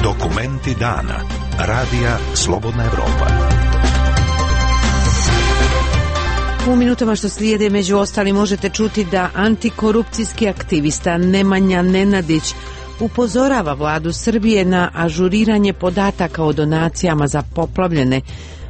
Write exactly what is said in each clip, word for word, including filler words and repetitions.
Dokumenti dana. Radija Slobodna Evropa. U minutama što slijede među ostali možete čuti da antikorupcijski aktivista Nemanja Nenadić upozorava vladu Srbije na ažuriranje podataka o donacijama za poplavljene.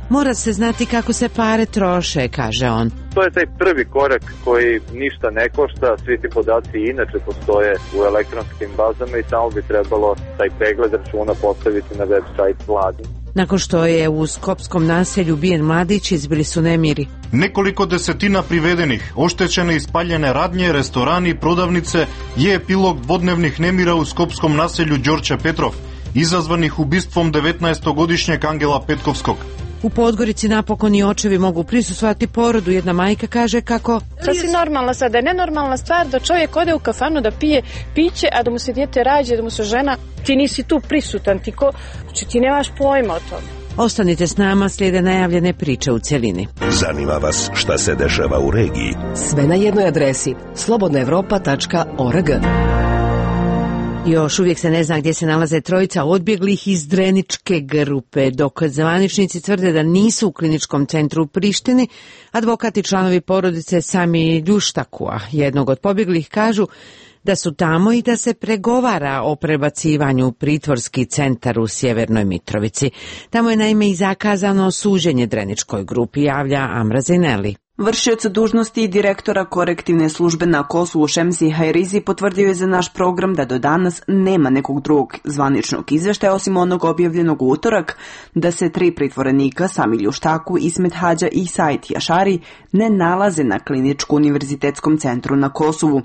Mora se znati kako se pare troše, kaže on. To je taj prvi korak koji ništa ne košta, svi ti podaci inače postoje u elektronskim bazama i samo bi trebalo taj pregled računa postaviti na web sajt vlade. Nakon što je u skopskom naselju ubijen mladić, izbili su nemiri. Nekoliko desetina privedenih, oštećene i spaljene radnje, restorani, prodavnice je epilog dvodnevnih nemira u skopskom naselju Đorđe Petrov, izazvanih ubistvom devetnaestogodišnjeg Angela Petkovskog. U Podgorici napokon i očevi mogu prisustvovati porodu. Jedna majka kaže kako... Sasvim normalna sada, je nenormalna stvar da čovjek ode u kafanu da pije piće, a da mu se dijete rađe, da mu se žena, ti nisi tu prisutan, ti, ko, znači, ti nemaš pojma o tome. Ostanite s nama, slijede najavljene priče u cjelini. Zanima vas šta se dešava u regiji? Sve na jednoj adresi slobodna evropa tačka org. Još uvijek se ne zna gdje se nalaze trojica odbjeglih iz Dreničke grupe. Dok zvaničnici tvrde da nisu u kliničkom centru u Prištini, advokati članovi porodice Sami Ljuštakua, jednog od pobjeglih, kažu da su tamo i da se pregovara o prebacivanju u pritvorski centar u Sjevernoj Mitrovici. Tamo je naime i zakazano suđenje Dreničkoj grupi, javlja Amra Zineli. Vršioc dužnosti direktora korektivne službe na Kosovu Šemsi Hajrizi potvrdio je za naš program da do danas nema nekog drugog zvaničnog izveštaja osim onog objavljenog u utorak da se tri pritvorenika Sami Ljuštaku, Ismet Hadža i Said Jašari ne nalaze na kliničku univerzitetskom centru na Kosovu.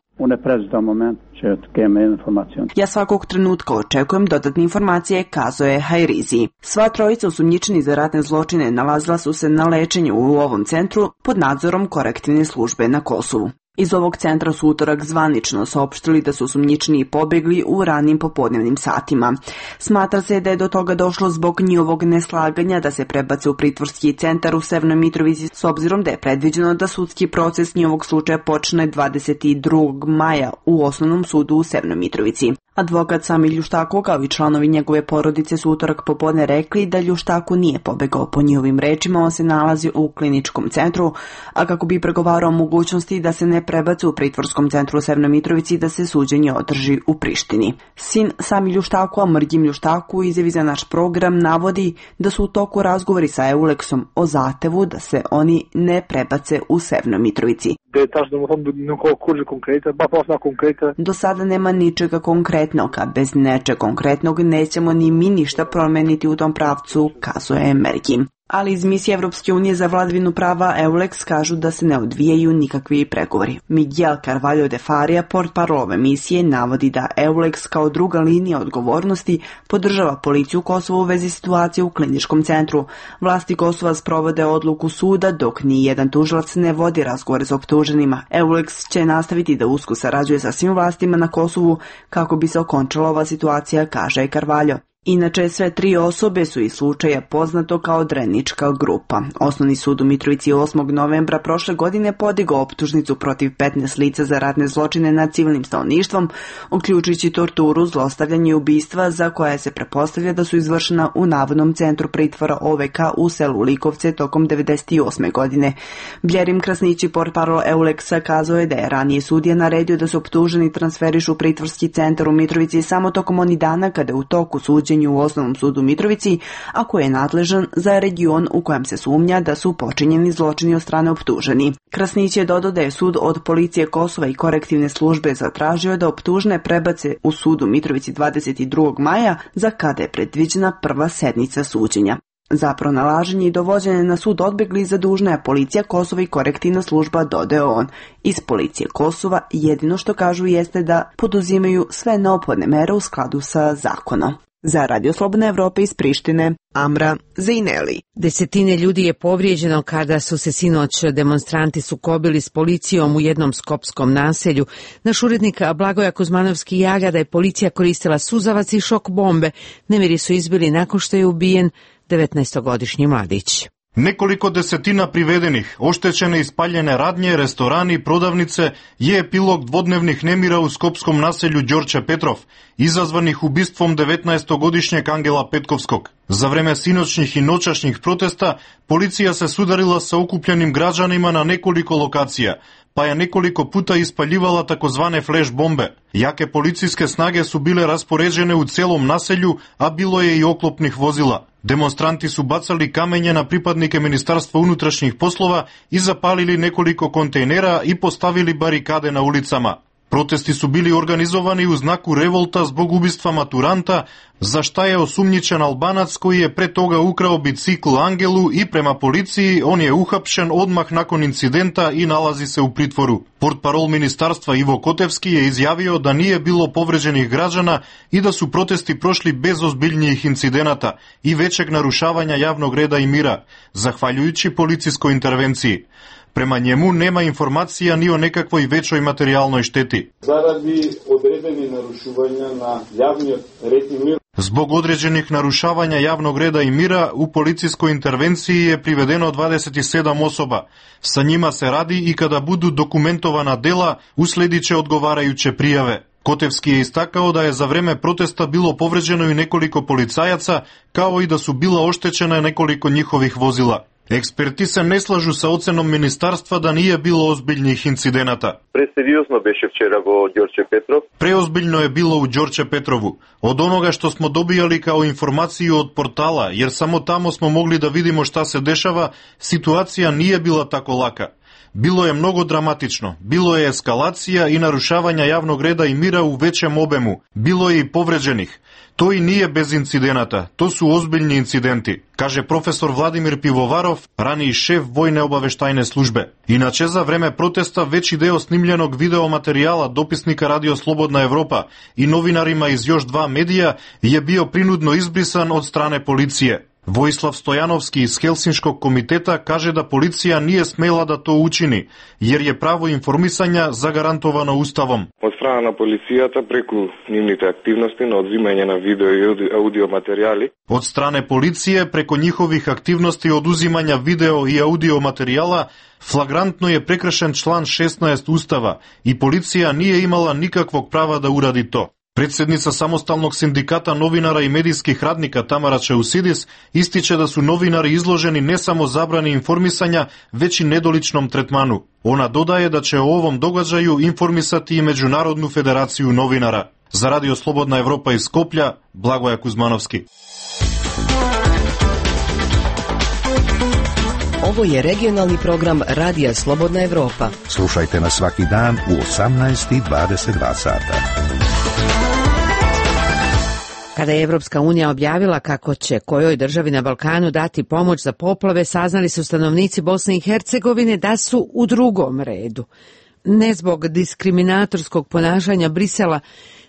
Ja svakog trenutka očekujem dodatne informacije, kazao je Hajrizi. Sva trojica osumnjičeni za ratne zločine nalazila su se na lečenju u ovom centru pod nadzorom korektivne službe na Kosovu. Iz ovog centra su utorak zvanično saopštili da su osumnjičeni pobjegli u ranim popodnevnim satima. Smatra se da je do toga došlo zbog njihovog neslaganja da se prebace u pritvorski centar u Severnoj Mitrovici, s obzirom da je predviđeno da sudski proces njihovog slučaja počne dvadeset drugog maja u Osnovnom sudu u Severnoj Mitrovici. Advokat Sami Ljuštaku kao i članovi njegove porodice su utorak popodne rekli da Ljuštaku nije pobegao. Po njihovim rečima on se nalazi u kliničkom centru, a kako bi pregovarao o mogućnosti da se ne prebace u pritvorskom centru u Severnoj Mitrovici da se suđenje održi u Prištini. Sin Sami Ljuštaku, a Mrgim Ljuštaku, izjavi za naš program navodi da su u toku razgovori sa Euleksom o zahtevu da se oni ne prebace u Severnoj Mitrovici. Do sada nema ničega konkretnog, a bez nečeg konkretnog nećemo ni mi ništa promeniti u tom pravcu, kazuje Merkim. Ali iz misije Evropske unije za vladavinu prava Euleks kažu da se ne odvijaju nikakvi pregovori. Miguel Carvalho de Faria, portparol ove misije, navodi da Euleks kao druga linija odgovornosti podržava policiju Kosova u vezi situacije u kliničkom centru. Vlasti Kosova sprovode odluku suda dok ni jedan tužilac ne vodi razgovore s optuženima. Euleks će nastaviti da usko sarađuje sa svim vlastima na Kosovu kako bi se okončala ova situacija, kaže Carvalho. Inače, sve tri osobe su iz slučaja poznato kao Drenička grupa. Osnovni sud u Mitrovici osmog novembra prošle godine podigao optužnicu protiv petnaest lica za ratne zločine nad civilnim stanovništvom, uključujući torturu, zlostavljanje i ubistva za koja se pretpostavlja da su izvršena u navodnom centru pritvora O V K u selu Likovce tokom devedeset osme godine. Bljerim Krasnići, portparol Euleksa, kazao je da je ranije sudija naredio da se optuženi transferišu u pritvorski centar u Mitrovici samo tokom onih dana kada je u toku suđenja u Osnovnom sudu Mitrovici, a koji je nadležan za region u kojem se sumnja da su počinjeni zločini od strane optuženi. Krasnić je dodao da je sud od policije Kosova i korektivne službe zatražio da optužne prebace u sudu Mitrovici dvadeset drugog maja, za kada je predviđena prva sednica suđenja. Za pronalaženje i dovođenje na sud odbjegli zadužna je policija Kosova i korektivna služba, dodao on. Iz policije Kosova jedino što kažu jeste da poduzimaju sve neophodne mere u skladu sa zakonom. Za Radio Slobodne Evrope iz Prištine, Amra Zeineli. Desetine ljudi je povrijeđeno kada su se sinoć demonstranti sukobili s policijom u jednom skopskom naselju. Naš urednik Blagoja Kuzmanovski javlja da je policija koristila suzavac i šok bombe. Nemiri su izbili nakon što je ubijen devetnaestogodišnji mladić. Nekoliko desetina privedenih, oštećene i spaljene radnje, restorani, prodavnice je epilog dvodnevnih nemira u skopskom naselju Đorđe Petrov, izazvanih ubistvom devetnaestogodišnjeg Angela Petkovskog. За време синоćnih i noćašnjih protesta, policija se sudarila sa okupljenim građanima na nekoliko lokacija, pa je nekoliko puta ispaljivala takozvane flash bombe. Jake policijske snage su bile raspoređene u celom naselju, a bilo je i oklopnih vozila. Demonstranti su bacali kamenje na pripadnike Ministarstva unutrašnjih poslova i zapalili nekoliko kontejnera i postavili barikade na ulicama. Protesti su bili organizovani u znaku revolta zbog ubistva maturanta, za šta je osumnjičen Albanac koji je pre toga ukrao bicikl Angelu i prema policiji on je uhapšen odmah nakon incidenta i nalazi se u pritvoru. Portparol ministarstva Ivo Kotevski je izjavio da nije bilo povređenih građana i da su protesti prošli bez ozbiljnijih incidenata i većeg narušavanja javnog reda i mira, zahvaljujući policijskoj intervenciji. Prema njemu nema informacija ni o nekakvoj većoj materijalnoj šteti. Zaradi određenih narušavanja na javni red i mir. Zbog određenih narušavanja javnog reda i mira u policijskoj intervenciji je privedeno dvadeset sedam osoba. Sa njima se radi i kada budu dokumentovana dela, usledit će odgovarajuće prijave. Kotevski je istakao da je za vreme protesta bilo povređeno i nekoliko policajaca, kao i da su bila oštećena nekoliko njihovih vozila. Eksperti se ne slažu sa ocenom ministarstva da nije bilo ozbiljnih incidenata. Preseriozno беше вчера во Đorđe Petrov. Preozbiljno je bilo u Đorđe Petrovu. Od onoga što smo dobijali kao informaciju od portala, jer samo tamo smo mogli da vidimo šta se dešava, situacija nije bila tako laka. Bilo je mnogo dramatično, bilo je eskalacija i narušavanja javnog reda i mira u većem obemu, bilo je i povređenih. To i nije bez incidenata, to su ozbiljni incidenti, kaže profesor Vladimir Pivovarov, raniji šef vojne obaveštajne službe. Inače, za vreme protesta veći deo snimljenog videomaterijala dopisnika Radio Slobodna Evropa i novinarima iz još dva medija je bio prinudno izbrisan od strane policije. Vojislav Stojanovski iz Helsinškog komiteta kaže da policija nije smela da to učini, jer je pravo informisanja zagarantovano Ustavom. Od strana policijata preko njihove aktivnosti na odzimanje na video i audio materijali. Od strane policije preko njihovih aktivnosti oduzimanja video i audio materijala flagrantno je prekršen član šesnaest Ustava i policija nije imala nikakvog prava da uradi to. Predsednica Samostalnog sindikata novinara i medijskih radnika Tamara Čeusidis ističe da su novinari izloženi ne samo zabrani informisanja, već i nedoličnom tretmanu. Ona dodaje da će o ovom događaju informisati i Međunarodnu federaciju novinara. Za Radio Slobodna Evropa iz Skoplja, Blagoja Kuzmanovski. Ovo je regionalni program Radija Slobodna Evropa. Slušajte nas svaki dan u osamnaest i dvadeset dva sata. Kada je Evropska unija objavila kako će kojoj državi na Balkanu dati pomoć za poplave, saznali su stanovnici Bosne i Hercegovine da su u drugom redu. Ne zbog diskriminatorskog ponašanja Brisela,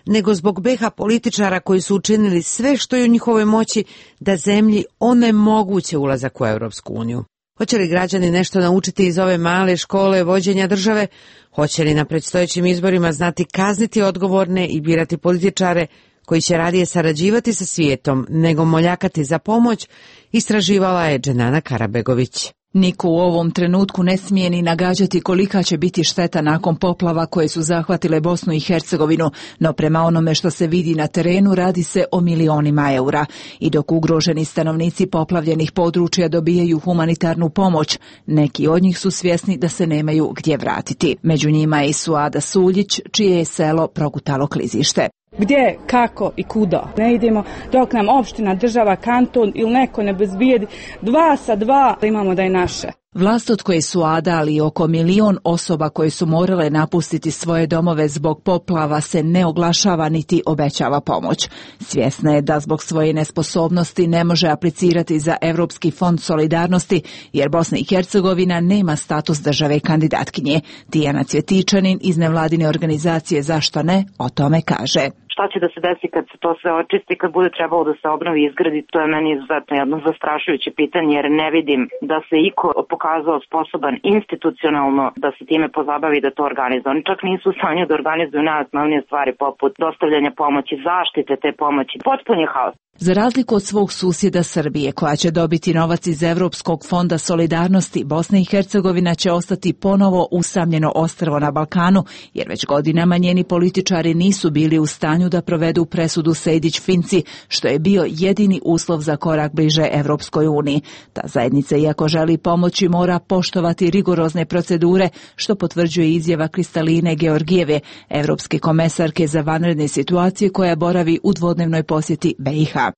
nego zbog beha političara koji su učinili sve što je u njihovoj moći da zemlji onemoguće ulazak u Evropsku uniju. Hoće li građani nešto naučiti iz ove male škole vođenja države? Hoće li na predstojećim izborima znati kazniti odgovorne i birati političare koji će radije sarađivati sa svijetom nego moljakati za pomoć, istraživala je Dženana Karabegović. Niko u ovom trenutku ne smije ni nagađati kolika će biti šteta nakon poplava koje su zahvatile Bosnu i Hercegovinu, no prema onome što se vidi na terenu radi se o milionima eura. I dok ugroženi stanovnici poplavljenih područja dobijaju humanitarnu pomoć, neki od njih su svjesni da se nemaju gdje vratiti. Među njima je i Suada Suljić, čije je selo progutalo klizište. Gdje, kako i kuda. Ne idemo dok nam opština, država, kanton ili neko ne bezbijedi. Dva sa dva imamo da je naše. Vlast od koje su Ada, ali oko milion osoba koje su morale napustiti svoje domove zbog poplava se ne oglašava niti obećava pomoć. Svjesna je da zbog svoje nesposobnosti ne može aplicirati za Evropski fond solidarnosti, jer Bosna i Hercegovina nema status države kandidatkinje. Tijana Cvjetičanin iz nevladine organizacije Zašto ne o tome kaže. Šta će da se desi kad se to sve očisti, kad bude trebalo da se obnovi i izgradi, to je meni izuzetno jedno zastrašujuće pitanje, jer ne vidim da se iko pokazao sposoban institucionalno da se time pozabavi da to organizuje. Oni čak nisu u stanju da organizuju najosnovnije stvari poput dostavljanja pomoći, zaštite te pomoći. Potpun je haos. Za razliku od svog susjeda Srbije, koja će dobiti novac iz Evropskog fonda solidarnosti, Bosna i Hercegovina će ostati ponovo usamljeno ostrvo na Balkanu, jer već godinama njeni političari nisu bili u stanju da provedu presudu Sejdić-Finci, što je bio jedini uslov za korak bliže Evropskoj uniji. Ta zajednica, iako želi pomoći, mora poštovati rigorozne procedure, što potvrđuje izjava Kristaline Georgijeve, evropske komesarke za vanredne situacije, koja boravi u dvodnevnoj posjeti B i H.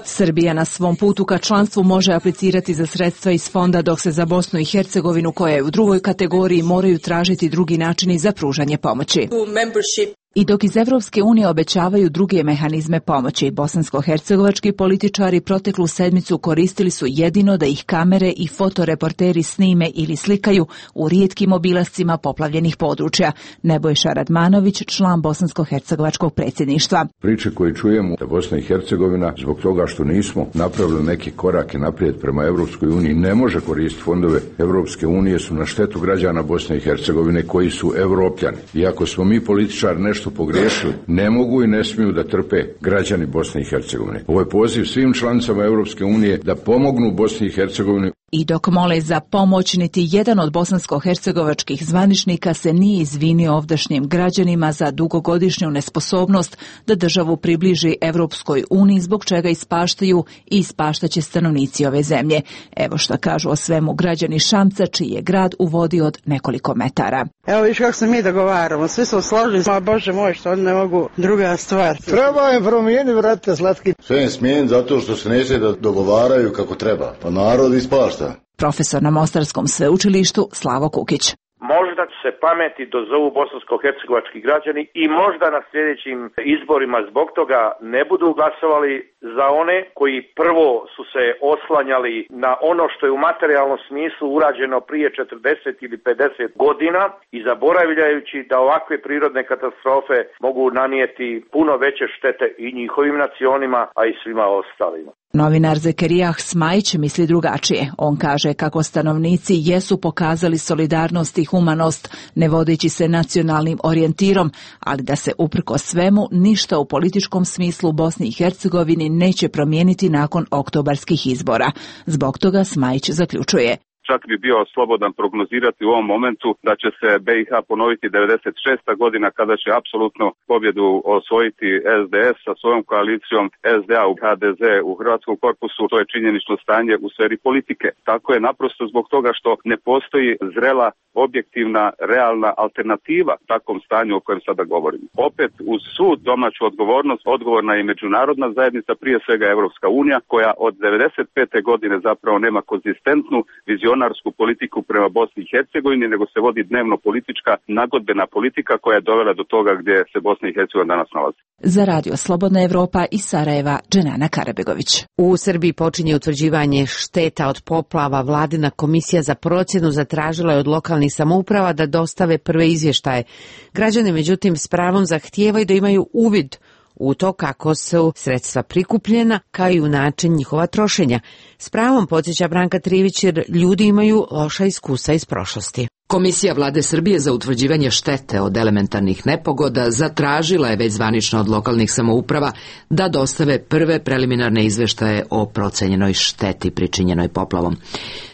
Srbija na svom putu ka članstvu može aplicirati za sredstva iz fonda, dok se za Bosnu i Hercegovinu, koja je u drugoj kategoriji, moraju tražiti drugi načini za pružanje pomoći. I dok iz Evropske unije obećavaju druge mehanizme pomoći, bosansko-hercegovački političari proteklu sedmicu koristili su jedino da ih kamere i fotoreporteri snime ili slikaju u rijetkim obilascima poplavljenih područja. Nebojša Radmanović, član bosansko-hercegovačkog predsjedništva. Priče koje čujemo da Bosna i Hercegovina, zbog toga što nismo napravili neke korake naprijed prema Evropskoj uniji, ne može koristiti fondove Evropske unije, su na štetu građana Bosne i Hercegovine koji su Evropljani. Iako smo mi političari nešto što pogriješili, ne mogu i ne smiju da trpe građani Bosne i Hercegovine. Ovo je poziv svim članicama Europske unije da pomognu Bosni i Hercegovini. I dok mole za pomoć, niti jedan od bosansko-hercegovačkih zvaničnika se nije izvinio ovdašnjim građanima za dugogodišnju nesposobnost da državu približi Evropskoj uniji, zbog čega ispaštaju i ispaštaće stanovnici ove zemlje. Evo šta kažu o svemu građani Šamca, čiji je grad u vodi od nekoliko metara. Evo viš kako se mi dogovaramo, svi smo složili, ma Bože moj, što oni ne mogu, druga stvar. Treba im promijeniti, vrate, slatki. Sve im smijen zato što se neće da dogovaraju kako treba, pa narod ispašta. Profesor na Mostarskom sveučilištu Slavo Kukić. Možda se pameti dozovu bosansko-hercegovački građani i možda na sljedećim izborima zbog toga ne budu glasovali za one koji prvo su se oslanjali na ono što je u materijalnom smislu urađeno prije četrdeset ili pedeset godina i zaboravljajući da ovakve prirodne katastrofe mogu nanijeti puno veće štete i njihovim nacionima, a i svima ostalima. Novinar Zekerijah Smajić misli drugačije. On kaže kako stanovnici jesu pokazali solidarnost i humanost, ne vodeći se nacionalnim orijentirom, ali da se uprkos svemu ništa u političkom smislu u Bosni i Hercegovini neće promijeniti nakon oktobarskih izbora. Zbog toga Smajić zaključuje: čak bi bio slobodan prognozirati u ovom momentu da će se B i H ponoviti devedeset šesta godina, kada će apsolutno pobjedu osvojiti S D S sa svojom koalicijom S D A u H D Z u Hrvatskom korpusu. To je činjenično stanje u sferi politike. Tako je naprosto zbog toga što ne postoji zrela, objektivna, realna alternativa takvom stanju o kojem sada govorimo. Opet, uz svu domaću odgovornost, odgovorna je međunarodna zajednica, prije svega Evropska unija, koja od devedeset pete godine zapravo nema konzistentnu vizionarsku politiku prema Bosni i Hercegovini, nego se vodi dnevno politička, nagodbena politika koja je dovela do toga gdje se Bosna i Hercegovina danas nalazi. Za Radio Slobodna Evropa iz Sarajeva, Dženana Karabegović. U Srbiji počinje utvrđivanje šteta od poplava. Vladina komisija za procjenu zatražila je od lokalnih samouprava da dostave prve izvještaje. Građani, međutim, s pravom zahtijevaju da imaju uvid u to kako su sredstva prikupljena, kao i u način njihova trošenja. S pravom podsjeća Branka Trivić, jer ljudi imaju loša iskustva iz prošlosti. Komisija Vlade Srbije za utvrđivanje štete od elementarnih nepogoda zatražila je već zvanično od lokalnih samouprava da dostave prve preliminarne izveštaje o procenjenoj šteti pričinjenoj poplavom.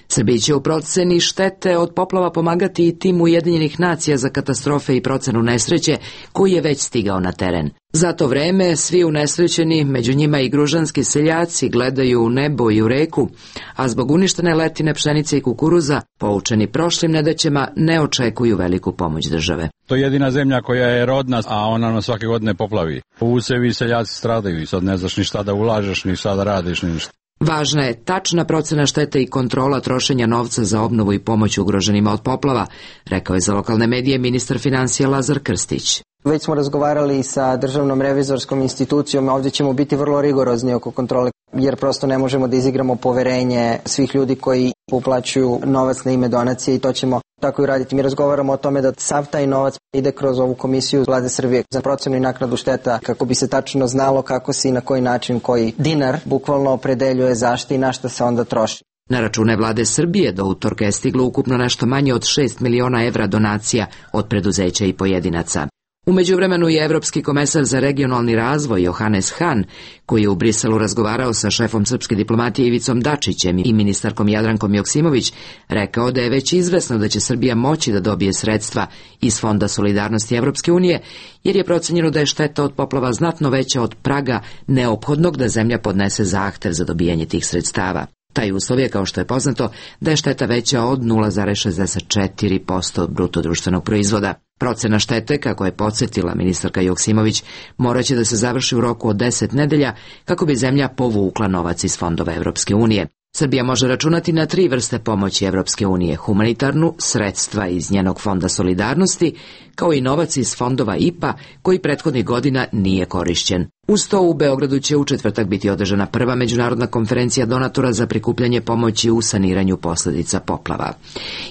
Srbiji će u proceni štete od poplava pomagati i tim Ujedinjenih nacija za katastrofe i procenu nesreće, koji je već stigao na teren. Za to vreme svi unesrećeni, među njima i gružanski seljaci, gledaju u nebo i u reku, a zbog uništene letine pšenice i kukuruza, poučeni prošlim nedaćama, ne očekuju veliku pomoć države. To je jedina zemlja koja je rodna, a ona nam svake godine poplavi. Usevi i seljaci stradaju i sad ne znaš ni šta da ulažeš, ni šta da radiš, ni ništa. Važna je tačna procena štete i kontrola trošenja novca za obnovu i pomoć ugroženima od poplava, rekao je za lokalne medije ministar financija Lazar Krstić. Već smo razgovarali sa državnom revizorskom institucijom, ovdje ćemo biti vrlo rigorozni oko kontrole, jer prosto ne možemo da izigramo poverenje svih ljudi koji uplaćuju novac na ime donacije i to ćemo tako i raditi. Mi razgovaramo o tome da sav taj novac ide kroz ovu komisiju Vlade Srbije za procenu i naknadu šteta, kako bi se tačno znalo kako se i na koji način koji dinar bukvalno opredeljuje zašto i na što se onda troši. Na račune Vlade Srbije do utorka je stiglo ukupno nešto manje od šest miliona evra donacija od preduzeća i pojedinaca. U međuvremenu je evropski komesar za regionalni razvoj Johannes Hahn, koji je u Briselu razgovarao sa šefom srpske diplomatije Ivicom Dačićem i ministarkom Jadrankom Joksimović, rekao da je već izvesno da će Srbija moći da dobije sredstva iz Fonda solidarnosti Evropske unije, jer je procenjeno da je šteta od poplava znatno veća od praga neophodnog da zemlja podnese zahtev za dobijanje tih sredstava. Taj uslov je, kao što je poznato, da je šteta veća od nula zarez šezdeset četiri posto bruto društvenog proizvoda. Procena štete, kako je podsjetila ministarka Joksimović, moraće da se završi u roku od deset nedelja kako bi zemlja povukla novac iz fondova Evropske unije. Srbija može računati na tri vrste pomoći Evropske unije: humanitarnu, sredstva iz njenog fonda solidarnosti, kao i novac iz fondova I P A koji prethodnih godina nije korišćen. Uz to u Beogradu će u četvrtak biti održana prva međunarodna konferencija donatora za prikupljanje pomoći u saniranju posljedica poplava.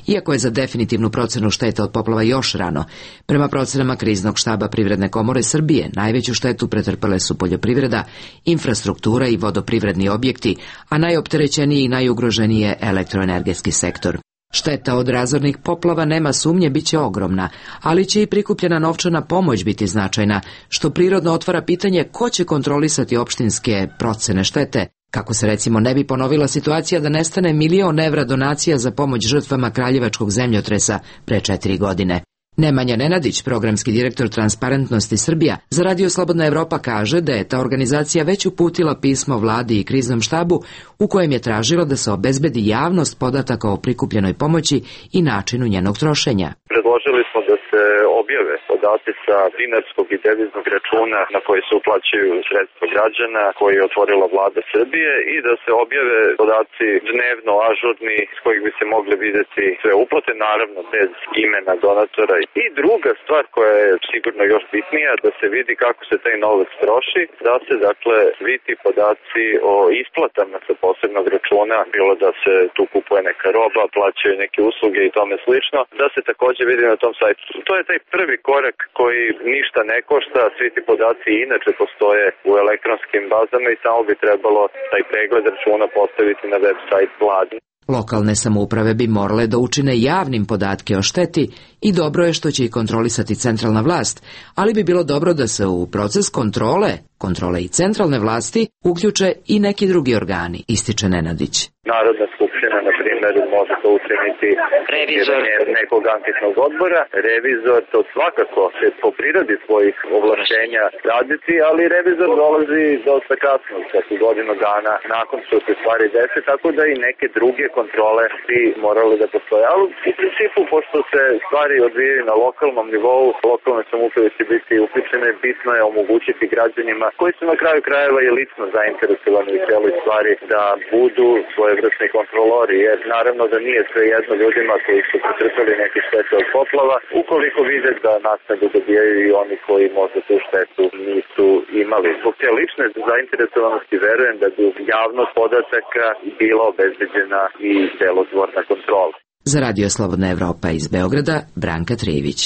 Iako je za definitivnu procenu štete od poplava još rano, prema procenama Kriznog štaba Privredne komore Srbije najveću štetu pretrpele su poljoprivreda, infrastruktura i vodoprivredni objekti, a najopterećeniji i najugroženiji je elektroenergetski sektor. Šteta od razornih poplava, nema sumnje, bit će ogromna, ali će i prikupljena novčana pomoć biti značajna, što prirodno otvara pitanje ko će kontrolisati opštinske procene štete, kako se recimo ne bi ponovila situacija da nestane milion evra donacija za pomoć žrtvama kraljevačkog zemljotresa pre četiri godine. Nemanja Nenadić, programski direktor Transparentnosti Srbija, za Radio Slobodna Evropa kaže da je ta organizacija već uputila pismo vladi i kriznom štabu u kojem je tražila da se obezbedi javnost podataka o prikupljenoj pomoći i načinu njenog trošenja. Predložili smo da se objave podaci sa dinarskog i deviznog računa na koji se uplaćuju sredstva građana koji je otvorila vlada Srbije i da se objave podaci dnevno ažurni s kojih bi se mogli vidjeti sve uplate, naravno bez imena donatora. I druga stvar koja je sigurno još bitnija, da se vidi kako se taj novac troši, da se dakle svi ti podaci o isplatama sa posebnog računa, bilo da se tu kupuje neka roba, plaćaju neke usluge i tome slično, da se također vidi na tom sajtu. To je taj prvi korak koji ništa ne košta, svi ti podaci inače postoje u elektronskim bazama i samo bi trebalo taj pregled računa postaviti na web sajt vlade. Lokalne samouprave bi morale da učine javnim podatke o šteti i dobro je što će ih kontrolisati centralna vlast, ali bi bilo dobro da se u proces kontrole, kontrole i centralne vlasti uključe i neki drugi organi, ističe Nenadić. Narodna skupština, na primjer, može to učiniti revizor nekog anketnog odbora. Revizor to svakako će po prirodi svojih ovlašćenja raditi, ali revizor dolazi dosta kasno, dakle godinu dana nakon što se stvari dese, tako da i neke druge kontrole bi morale da postoje. Ali u principu, pošto se stvari odvijaju na lokalnom nivou, lokalne samouprave će biti uključene, bitno je omogućiti građanima koji su na kraju krajeva i lično zainteresovani u cijeloj stvari da budu svojevrsni kontrolori, jer naravno da nije sve jedno ljudima koji su pretrpeli neke štete od poplava, ukoliko vide da naknadu dobijaju i oni koji možda tu štetu nisu imali. Zbog te lične zainteresovanosti verujem da bi javnost podataka bila obezbeđena i delotvorna kontrola. Za Radio Slobodna Evropa iz Beograda, Branka Trijević.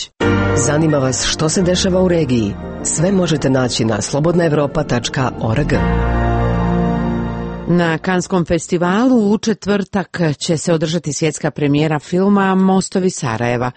Zanima vas što se dešava u regiji? Sve možete naći na slobodna evropa tačka org. Na Kanskom festivalu u četvrtak će se održati svjetska premijera filma Mostovi Sarajeva.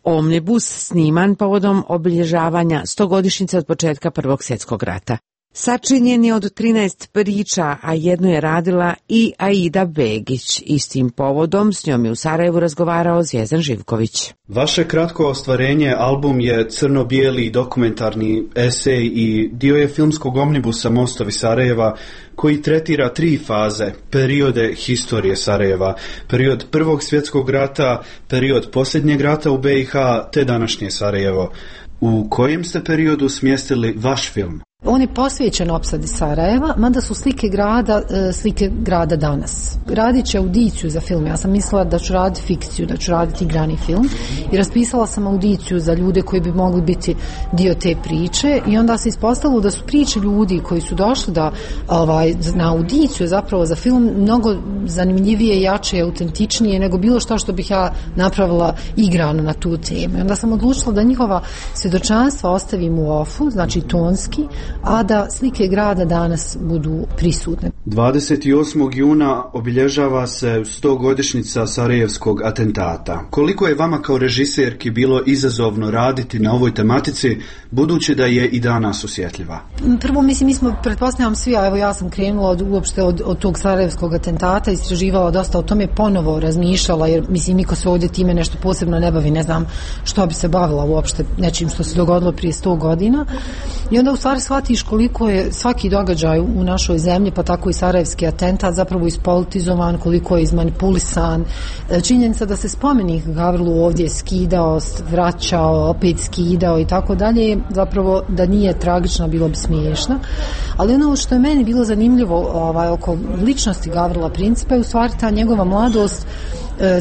Omnibus sniman povodom obilježavanja stogodišnjice od početka Prvog svjetskog rata. Sačinjen je od trinaest priča, a jednu je radila i Aida Begić. Istim povodom s njom je u Sarajevu razgovarao Zvjezdan Živković. Vaše kratko ostvarenje, album je crno-bijeli dokumentarni esej i dio je filmskog omnibusa Mostovi Sarajeva koji tretira tri faze, periode historije Sarajeva, period Prvog svjetskog rata, period posljednjeg rata u B i H te današnje Sarajevo. U kojem ste periodu smjestili vaš film? On je posvećen opsadi Sarajeva, mada su slike grada, slike grada danas. Radit će audiciju za film. Ja sam mislila da ću raditi fikciju, da ću raditi igrani film i raspisala sam audiciju za ljude koji bi mogli biti dio te priče i onda se ispostavilo da su priče ljudi koji su došli da, ovaj, na audiciju zapravo za film mnogo zanimljivije, jače i autentičnije nego bilo što što bih ja napravila igrano na tu temu. I onda sam odlučila da njihova svjedočanstva ostavim u ofu, znači tonski, a da slike grada danas budu prisutne. dvadeset osmog juna obilježava se stogodišnjica Sarajevskog atentata. Koliko je vama kao režiserki bilo izazovno raditi na ovoj tematici, budući da je i danas osjetljiva? Prvo, mislim, mi smo, pretpostavljam svi, a evo ja sam krenula od, uopšte od, od tog Sarajevskog atentata, istraživala dosta o tome, ponovo razmišljala, jer mislim niko se ovdje time nešto posebno ne bavi, ne znam što bi se bavila uopšte nečim što se dogodilo prije sto godina. I onda u stvari shvatiš koliko je svaki događaj u našoj zemlji, pa tako i Sarajevski atentat, zapravo ispolitizovan, koliko je izmanipulisan. Činjenica da se spomenik Gavrilu ovdje skidao, vraćao, opet skidao i tako dalje, zapravo da nije tragična, bilo bi smiješna. Ali ono što je meni bilo zanimljivo ovaj, oko ličnosti Gavrila Principa je u stvari ta njegova mladost,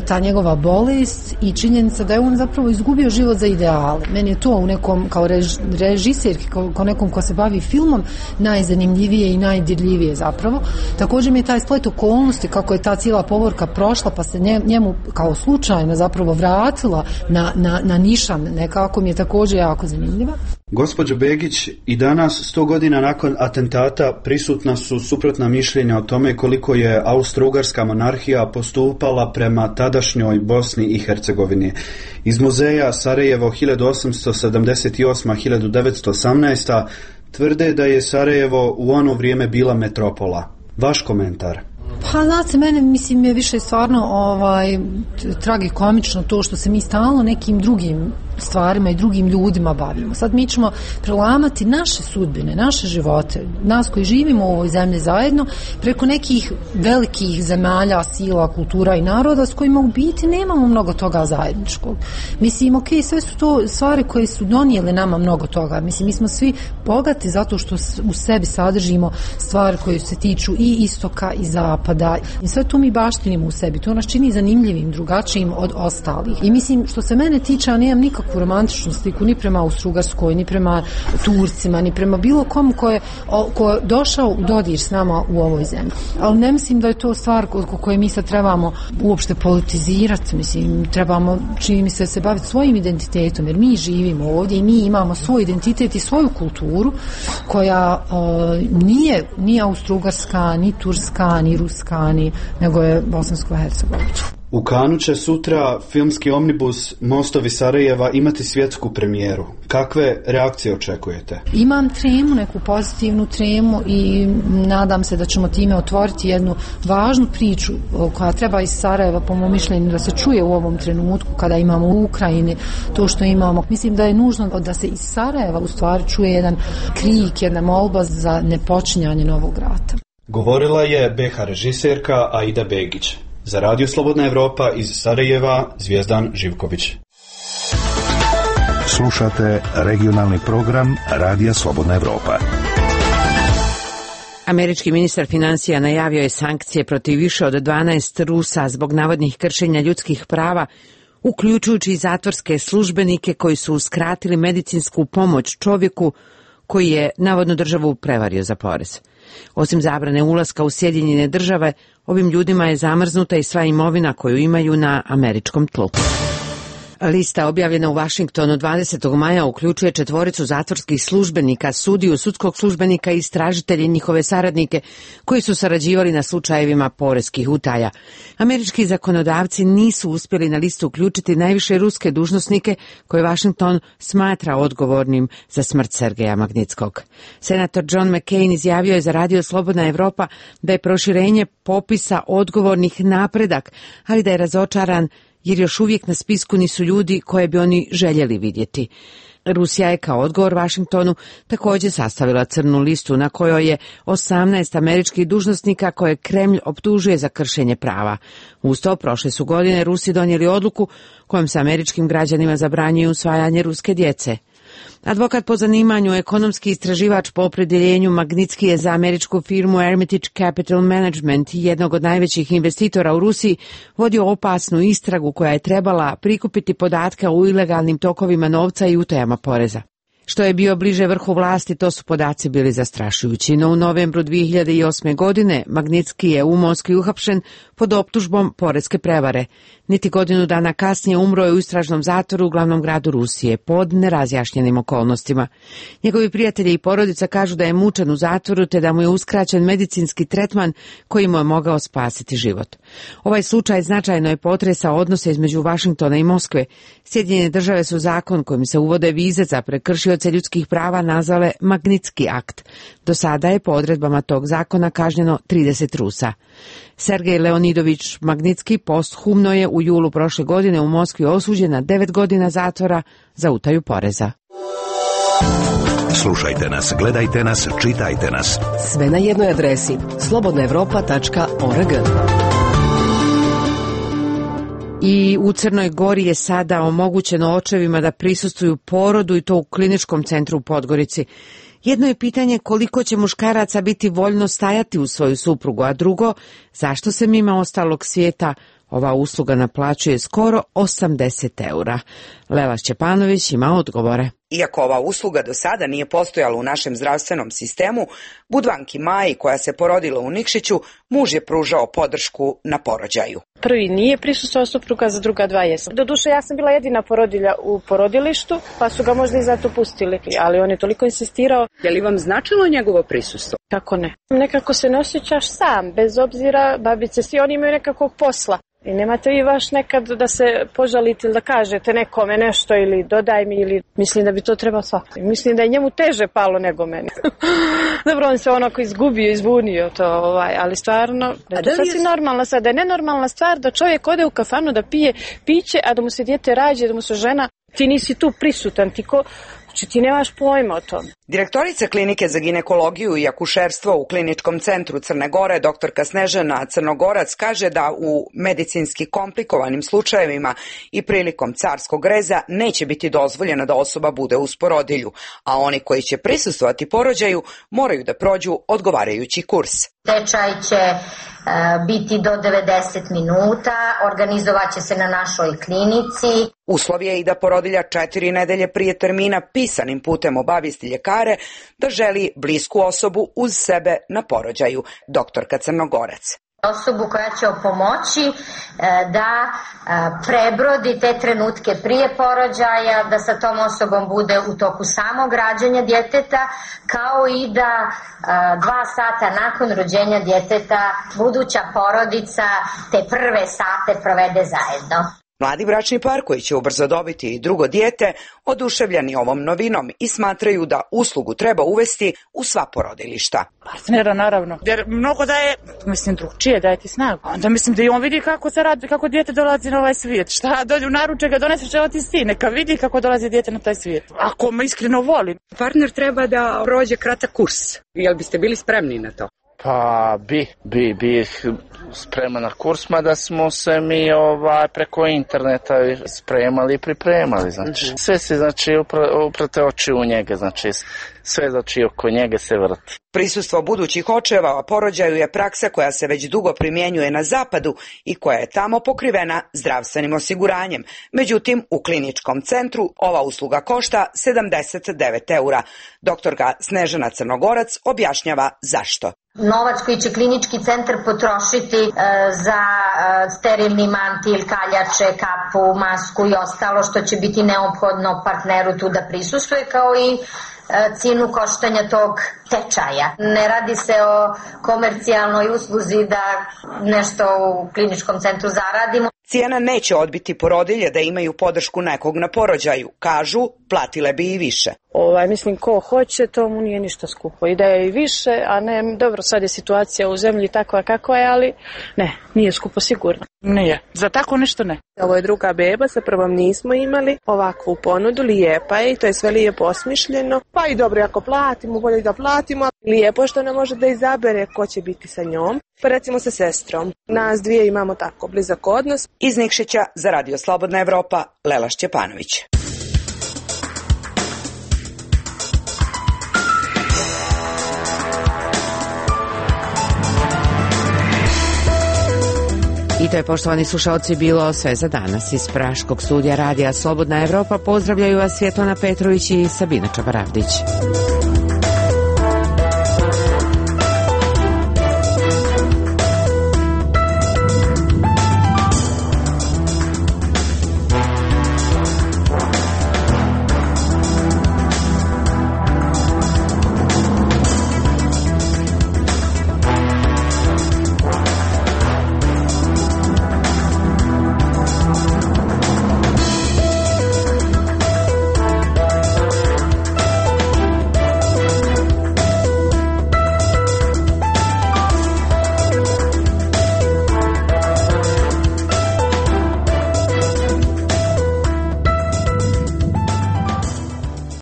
ta njegova bolest i činjenica da je on zapravo izgubio život za ideale. Meni je to u nekom, kao rež, režiserki, kao, kao nekom ko se bavi filmom, najzanimljivije i najdirljivije zapravo. Također mi je taj splet okolnosti, kako je ta cijela povorka prošla, pa se njemu kao slučajno zapravo vratila na, na, na nišan, nekako mi je također jako zanimljiva. Gospođo Begić, i danas, sto godina nakon atentata, prisutna su suprotna mišljenja o tome koliko je Austro-Ugarska monarhija postupala prema tadašnjoj Bosni i Hercegovini. Iz muzeja Sarajevo hiljadu osamsto sedamdeset osam do hiljadu devetsto osamnaest. tvrde da je Sarajevo u ono vrijeme bila metropola. Vaš komentar? Pa znate, mene mislim je više stvarno ovaj, tragikomično to što se mi stalno nekim drugim stvarima i drugim ljudima bavimo. Sad mi ćemo prelamati naše sudbine, naše živote, nas koji živimo u ovoj zemlji zajedno, preko nekih velikih zemalja, sila, kultura i naroda s kojima u biti nemamo mnogo toga zajedničkog. Mislim, ok, sve su to stvari koje su donijele nama mnogo toga. Mislim, mi smo svi bogati zato što u sebi sadržimo stvari koje se tiču i istoka i zapada. I sve to mi baštinimo u sebi. To nas čini zanimljivim, drugačijim od ostalih. I mislim, što se mene tiče, a nemam nikakvu romantičnu sliku ni prema Austro-Ugarskoj, ni prema Turcima, ni prema bilo komu ko je, ko je došao u dodir s nama u ovoj zemlji. Ali ne mislim da je to stvar oko koje mi sad trebamo uopšte politizirati. Mislim, trebamo, čini mi se, se baviti svojim identitetom, jer mi živimo ovdje i mi imamo svoj identitet i svoju kulturu koja uh, nije ni Austro-Ugarska, ni Turska, ni Ruska, ni, nego je bosansko-hercegovačka. U Kanu će sutra filmski omnibus Mostovi Sarajeva imati svjetsku premijeru. Kakve reakcije očekujete? Imam tremu, neku pozitivnu tremu i nadam se da ćemo time otvoriti jednu važnu priču koja treba iz Sarajeva, po mom mišljenju, da se čuje u ovom trenutku kada imamo u Ukrajini to što imamo. Mislim da je nužno da se iz Sarajeva u stvari čuje jedan krik, jedna molba za nepočinjanje novog rata. Govorila je be ha režiserka Aida Begić. Za Radio Slobodna Evropa iz Sarajeva, Zvijezdan Živković. Slušate regionalni program Radija Slobodna Evropa. Američki ministar financija najavio je sankcije protiv više od dvanaest Rusa zbog navodnih kršenja ljudskih prava, uključujući i zatvorske službenike koji su uskratili medicinsku pomoć čovjeku koji je navodno državu prevario za porez. Osim zabrane ulaska u Sjedinjene države, ovim ljudima je zamrznuta i sva imovina koju imaju na američkom tlu. Lista objavljena u Vašingtonu dvadesetog maja uključuje četvoricu zatvorskih službenika, sudiju, sudskog službenika i istražitelje i njihove saradnike koji su sarađivali na slučajevima poreskih utaja. Američki zakonodavci nisu uspjeli na listu uključiti najviše ruske dužnosnike koje Vašington smatra odgovornim za smrt Sergeja Magnitskog. Senator John McCain izjavio je za Radio Slobodna Evropa da je proširenje popisa odgovornih napredak, ali da je razočaran jer još uvijek na spisku nisu ljudi koje bi oni željeli vidjeti. Rusija je kao odgovor Vašingtonu također sastavila crnu listu na kojoj je osamnaest američkih dužnosnika koje Kremlj optužuje za kršenje prava. Uz to, prošle su godine Rusi donijeli odluku kojom se američkim građanima zabranjuje usvajanje ruske djece. Advokat po zanimanju, ekonomski istraživač po opredjeljenju, Magnitski je za američku firmu Hermitage Capital Management, jednog od najvećih investitora u Rusiji, vodio opasnu istragu koja je trebala prikupiti podatke o ilegalnim tokovima novca i utajama poreza. Što je bio bliže vrhu vlasti, to su podaci bili zastrašujući. No u novembru dvije hiljade osme. godine Magnitski je u Moskvi uhapšen pod optužbom poreske prevare. Niti godinu dana kasnije umro je u istražnom zatvoru u glavnom gradu Rusije pod nerazjašnjenim okolnostima. Njegovi prijatelji i porodica kažu da je mučen u zatvoru te da mu je uskraćen medicinski tretman koji mu je mogao spasiti život. Ovaj slučaj značajno je potresao odnose između Vašingtona i Moskve. Sjedinjene države su zakon kojim se uvode vize za prekršioce ljudskih prava nazvale Magnitski akt. Do sada je po odredbama tog zakona kažnjeno trideset Rusa. Sergej Leonidović Magnitski posthumno je u julu prošle godine u Moskvi osuđen na devet godina zatvora za utaju poreza. Slušajte nas, gledajte nas, čitajte nas. Sve na jednoj adresi slobodna evropa tačka org. I u Crnoj Gori je sada omogućeno očevima da prisustvuju porodu i to u kliničkom centru u Podgorici. Jedno je pitanje koliko će muškaraca biti voljno stajati uz svoju suprugu, a drugo, zašto se mimo ostalog svijeta ova usluga naplaćuje skoro osamdeset eura. Lela Šćepanović ima odgovore. Iako ova usluga do sada nije postojala u našem zdravstvenom sistemu, Budvanki Maji, koja se porodila u Nikšiću, muž je pružao podršku na porođaju. Prvi nije prisustvovao supruga, za druga dva jesam. Doduše, ja sam bila jedina porodilja u porodilištu, pa su ga možda i zato pustili, ali on je toliko insistirao. Je li vam značilo njegovo prisustvo? Kako ne? Nekako se ne osjećaš sam, bez obzira, babice, svi oni imaju nekakvog posla. I nemate vi baš nekad da se požalite ili da kažete nekome nešto ili dodaj mi ili mislim da bi to trebao svako. Mislim da je njemu teže palo nego meni. Dobro, on se onako izgubio, izbunio to, ovaj, ali stvarno, da je to sasvim normalna sad, da je nenormalna stvar da čovjek ode u kafanu da pije piće, a da mu se dijete rađe, da mu se žena, ti nisi tu prisutan, ti ko... Znači ti nemaš pojma o tome. Direktorica klinike za ginekologiju i akušerstvo u Kliničkom centru Crne Gore, doktorka Snežana Crnogorac, kaže da u medicinski komplikovanim slučajevima i prilikom carskog reza neće biti dozvoljeno da osoba bude uz porodilju, a oni koji će prisustvovati porođaju moraju da prođu odgovarajući kurs. Tečaj će e, biti do devedeset minuta, organizovat će se na našoj klinici. Uslov je i da porodilja četiri nedelje prije termina pisanim putem obavijesti ljekare da želi blisku osobu uz sebe na porođaju, doktorka Crnogorac. Osobu koja će pomoći e, da e, prebrodi te trenutke prije porođaja, da sa tom osobom bude u toku samog rađanja djeteta, kao i da e, dva sata nakon rođenja djeteta buduća porodica te prve sate provede zajedno. Mladi bračni par koji će ubrzo dobiti i drugo dijete oduševljeni ovom novinom i smatraju da uslugu treba uvesti u sva porodilišta. Partnera naravno, jer mnogo daje, mislim drugčije, daje ti snagu. Onda mislim da i on vidi kako se radi, kako dijete dolazi na ovaj svijet. Šta dođe u naručak ga doneseš, evo ti sin, neka vidi kako dolazi dijete na taj svijet. Ako me iskreno voli. Partner treba da prođe kratak kurs. Jel biste bili spremni na to? Pa bi, bi, bi spreman na kurs, mada smo se mi ovaj, preko interneta spremali i pripremali, znači. Sve se, znači, uprate oči u njega, znači, sve, znači, oko njega se vrti. Prisustvo budućih očeva porođaju je praksa koja se već dugo primjenjuje na zapadu i koja je tamo pokrivena zdravstvenim osiguranjem. Međutim, u kliničkom centru ova usluga košta sedamdeset devet eura. Doktorka Snežana Crnogorac objašnjava zašto. Novac koji će klinički centar potrošiti e, za e, sterilni mantil, kaljače, kapu, masku i ostalo što će biti neophodno partneru tu da prisustuje, kao i e, cijenu koštanja tog tečaja. Ne radi se o komercijalnoj usluzi da nešto u kliničkom centru zaradimo. Cijena neće odbiti porodilje da imaju podršku nekog na porođaju. Kažu, platile bi i više. Ovaj, mislim, ko hoće, to mu nije ništa skupo. I da je i više, a ne, dobro, sad je situacija u zemlji takva kakva je, ali ne, nije skupo sigurno. Nije. Za tako nešto ne. Ovo je druga beba, sa prvom nismo imali ovakvu ponudu, lijepa je i to je sve lijepo osmišljeno. Pa i dobro, ako platimo, bolje da platimo. Lijepo što ne može da izabere ko će biti sa njom. Pa recimo sa sestrom. Nas dvije imamo tako blizak odnos. Iz Nikšića za Radio Slobodna Evropa, Lela Šćepanović. I to je, poštovani slušalci, bilo sve za danas. Iz Praškog studija radija Slobodna Evropa pozdravljaju vas Svjetlana Petrović i Sabina Čabaravdić.